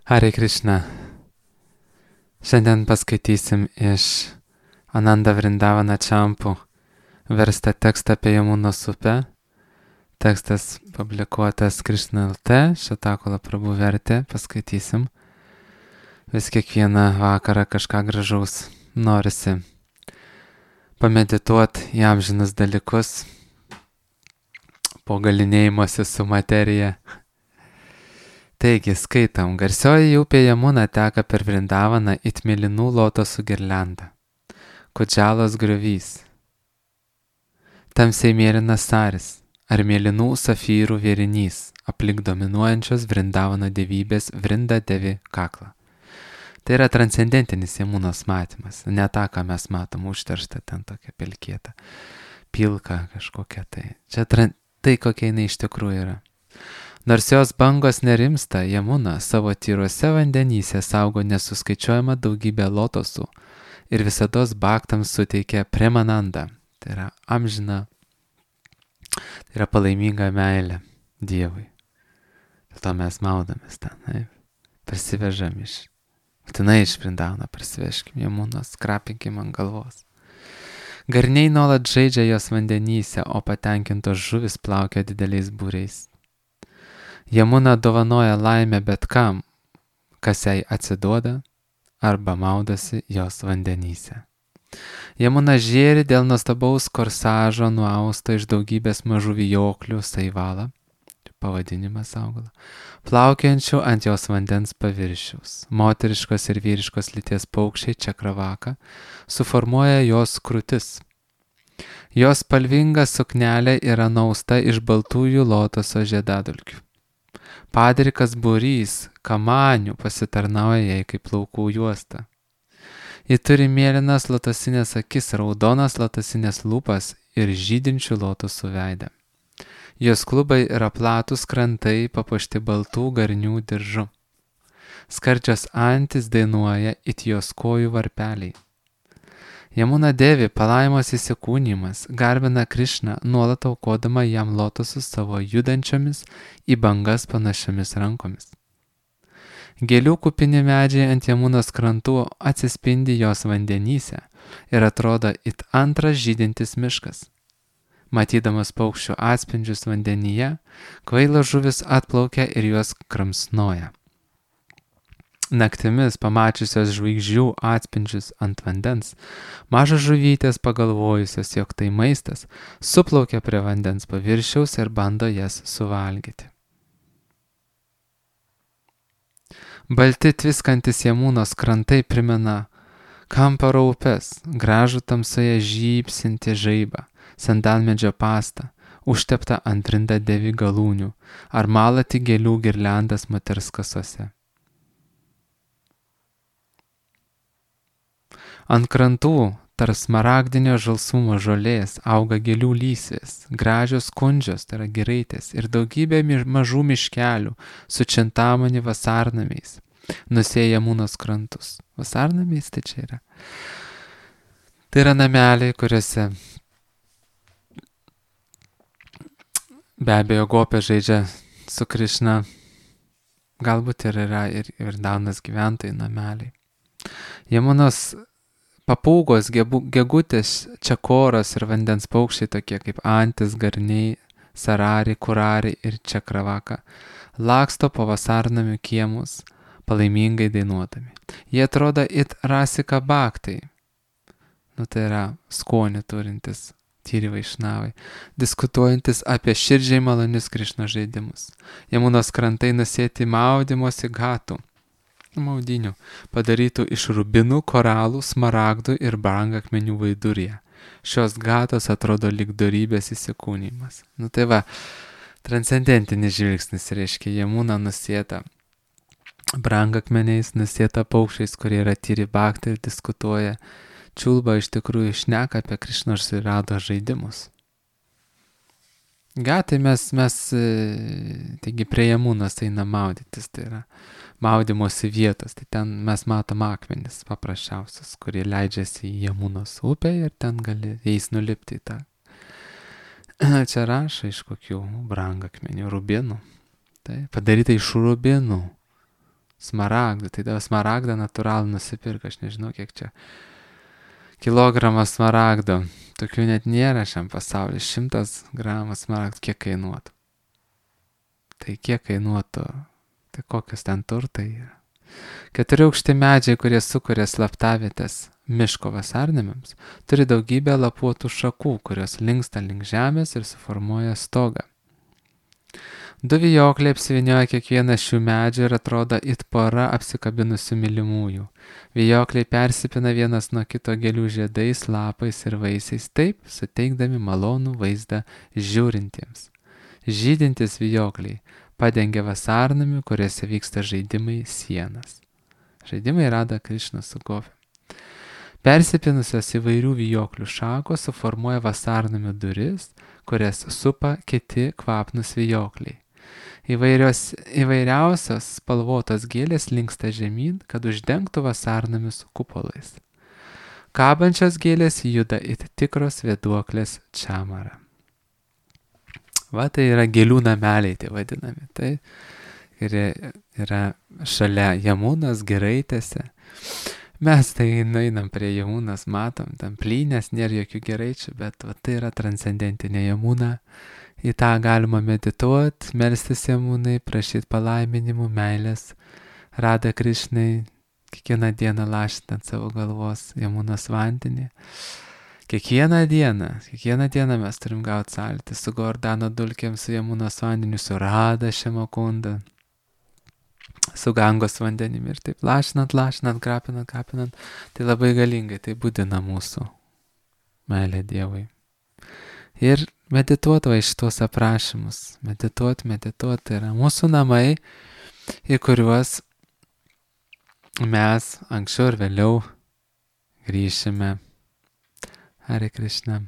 Hare Krishna. Šiandien paskaitysim iš Ananda Vrindavana Čampų verstą tekstą apie Jamunos upę. Tekstas publikuotas Krishna LT, Šatakola Prabhu vertė, paskaitysim. Vis kiekvieną vakarą kažką gražaus norisi pamedituot į amžinus dalykus, po galinėjimuose su materija. Taigi, skaitam, garsioji upė Jamuna teka per Vrindavaną it mėlynų lotosų girliandą. Kudžalos griovys. Tamsiai mėlynas saris ar mėlynų safyrų vėrinys aplink dominuojančios Vrindavano dievybės Vrinda Devi kaklą. Tai yra transcendentinis Jamunos matymas, ne tą, ką mes matom užterštą ten tokia pelkėta, pilka kažkokia tai. Čia tai, kokia jinai iš tikrųjų yra. Nors jos bangos nerimsta, Jamuna savo tyruose vandenyse saugo nesuskaičiuojama daugybė lotosų ir visados baktams suteikia premanandą, tai yra amžina, tai yra palaiminga meilė Dievui. Dėl to mes maudomės ten, parsivežam būtinai iš Vrindavano parsivežkim Jamunos, krapinkim ant galvos. Garniai nuolat žaidžia jos vandenyse, o patenkintos žuvis plaukia dideliais būriais. Jamuna dovanoja laimę bet kam, kas jai atsiduoda arba maudosi jos vandenyse. Jamuna žėri dėl nuostabaus korsažo nuausto iš daugybės mažų vijoklių saivalą, pavadinimas augalo, plaukiančių ant jos vandens paviršiaus. Moteriškos ir vyriškos lyties paukščiai čakravaka suformuoja jos krūtis. Jos spalvinga suknelė yra nausta iš baltųjų lotoso žiedadulkių. Padrikas būrys kamanių pasitarnauja jai kaip plaukų juosta. Ji turi mėlynas lotosinės akis, raudonas lotosinės lūpas ir žydinčių lotosų veidą. Jos klubai yra platus krantai papuošti baltų garnių diržu. Skardžios antys dainuoja it jos kojų varpeliai. Jamuna Devi palaimos įsikūnymas garbina Krishną, nuolat aukodama jam lotosus savo judančiomis į bangas panašiomis rankomis. Gėlių kupini medžiai ant Jamunos krantų atsispindi jos vandenyse ir atrodo it antras žydintis miškas. Matydamas paukščių atspindžius vandenyje, kvailos žuvis atplaukia ir juos kramsnoja. Naktimis pamačiusios žvaigždžių atspindžius ant vandens, mažos žuvytės pagalvojusios, jog tai maistas, suplaukia prie vandens paviršiaus ir bando jas suvalgyti. Balti tviskantis Jamunos krantai primena Kamparo upes, gražų tamsoje žybsinti žaibą, sandalmedžio pastą, užteptą ant Vrinda Devi galūnių, ar malati gėlių girliandas moters kasose. Ant krantų tarp smaragdinio žalsumo žolės auga gėlių lysvės, gražios kundžios, tai yra giraitės, ir daugybė mažų miškelių su čintamani vasarnamiais nusėja Jamunos krantus. Vasarnamiais tai čia yra. Tai yra nameliai, kuriuose be abejo gopė žaidžia su Krishna, galbūt ir yra ir Vrindanos gyventojai nameliai. Jamunos papūgos, gegutės, čakoros ir vandens paukščiai tokie kaip antis, garniai, sarari, kurari ir čakravaka laksto po vasarnamių kiemus, palaimingai dainuodami. Jie atrodo it rasika baktai, tai yra skonį turintis tyri vaišnavai, diskutuojantis apie širdžiai malonius Krishnos žaidimus. Jamunos krantai nusėti maudymosi gatų, maudinių, padarytų iš rubinų, koralų, smaragdų ir brangakmenių vaidurėje. Šios gatos atrodo lyg dorybės įsikūnymas. Tai va, transcendentinis žvilgsnis reiškia Jamuna nusėta brangakmeniais, nusėta paukščiais, kurie yra tyri baktai ir diskutuoja. Čiulba iš tikrųjų šneka apie Krishnos ir Rados žaidimus. Gatai mes taigi prie Jamunos eina maudytis, tai yra maudymosi vietos, tai ten mes matom akmenis paprasčiausias, kurie leidžiasi į Jamunos upę ir ten gali jais nulipti į tą. Čia rašo iš kokių brangakmenių, rubinų, tai padaryta iš rubinų. smaragdų. Tai dabar smaragdą natūralų nusipirka, aš nežinau, kiek čia kilogramas smaragdo. Tokių net nėra šiam pasaulyje. 100 gramų smaragdų kiek kainuotų. Tai kiek kainuotų, tai kokios ten turtai yra. 4 aukšti medžiai, kurie sukuria slaptavietės miško vasarnamiams, turi daugybę lapuotų šakų, kurios linksta link žemės ir suformuoja stogą. 2 vijokliai apsivinioja kiekvieną šių medžių ir atrodo it pora apsikabinusių mylimųjų. Vijokliai persipina vienas nuo kito gėlių žiedais, lapais ir vaisiais, taip suteikdami malonų vaizdą žiūrintiems. Žydintis vijokliai padengia vasarnamių, kuriuose vyksta žaidimai sienas. Žaidimai Rada Krišna su Gopi. Persipinusios įvairių vijoklių šakos suformuoja vasarnamių duris, kurias supa kiti kvapnus vijokliai. Įvairiausios spalvotos gėlės linksta žemyn, kad uždengtų vasarnamius kupolais. Kabančios gėlės juda it tikros vėduoklės čamara. Va, tai yra gėlių nameliai, tai vadinami. Tai yra šalia Jamunos giraitėse. Mes tai nueinam prie Jamunos, matom, tam plynės, nėra jokių giraičių, bet va, tai yra transcendentinė Jamuna. Į tą galima medituoti, melstis Jamunai, prašyti palaiminimų, meilės, Rada Krišnai, kiekvieną dieną lašinti ant savo galvos Jamunos vandenį. Kiekvieną dieną mes turim gauti sąlytį su Gordano dulkėm, su Jamunos vandeniu, su Rada Šemakunda, su Gangos vandenimi ir taip lašinant, krapinant. Tai labai galingai, tai būdina mūsų meilė Dievui. Ir medituoti va iš tuos aprašymus. Medituoti, tai yra mūsų namai, į kuriuos mes anksčiau ir vėliau grįšime. Hare Krishna.